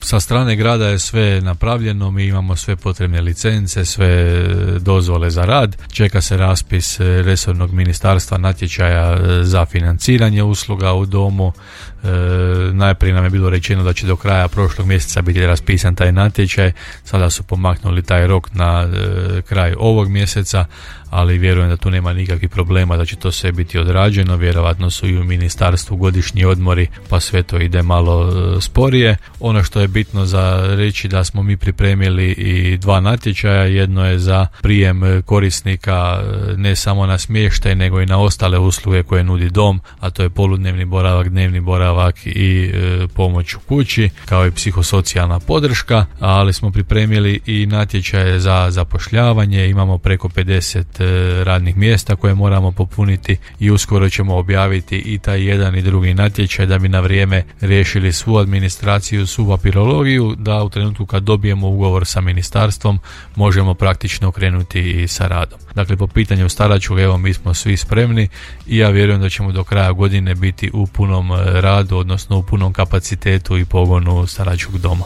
Sa strane grada je sve napravljeno, mi imamo sve potrebne licence, sve dozvole za rad, čeka se raspis resornog ministarstva natječaja za financiranje usluga u domu. Najprije nam je bilo rečeno da će do kraja prošlog mjeseca biti raspisan taj natječaj, sada su pomaknuli taj rok na kraj ovog mjeseca, ali vjerujem da tu nema nikakvih problema, da će to sve biti odrađeno. Vjerovatno su i u ministarstvu godišnji odmori, pa sve to ide malo sporije. Ono što je bitno za reći da smo mi pripremili i 2 natječaja, jedno je za prijem korisnika ne samo na smještaj nego i na ostale usluge koje nudi dom, a to je poludnevni boravak, dnevni boravak i pomoć u kući, kao i psihosocijalna podrška, ali smo pripremili i natječaje za zapošljavanje, imamo preko 50 radnih mjesta koje moramo popuniti i uskoro ćemo objaviti i taj jedan i drugi natječaj da bi na vrijeme riješili svu administraciju, svu papirologiju, da u trenutku kad dobijemo ugovor sa ministarstvom možemo praktično krenuti i sa radom. Dakle, po pitanju staračkog, evo, mi smo svi spremni i ja vjerujem da ćemo do kraja godine biti u punom radu, odnosno u punom kapacitetu i pogonu staračkog doma.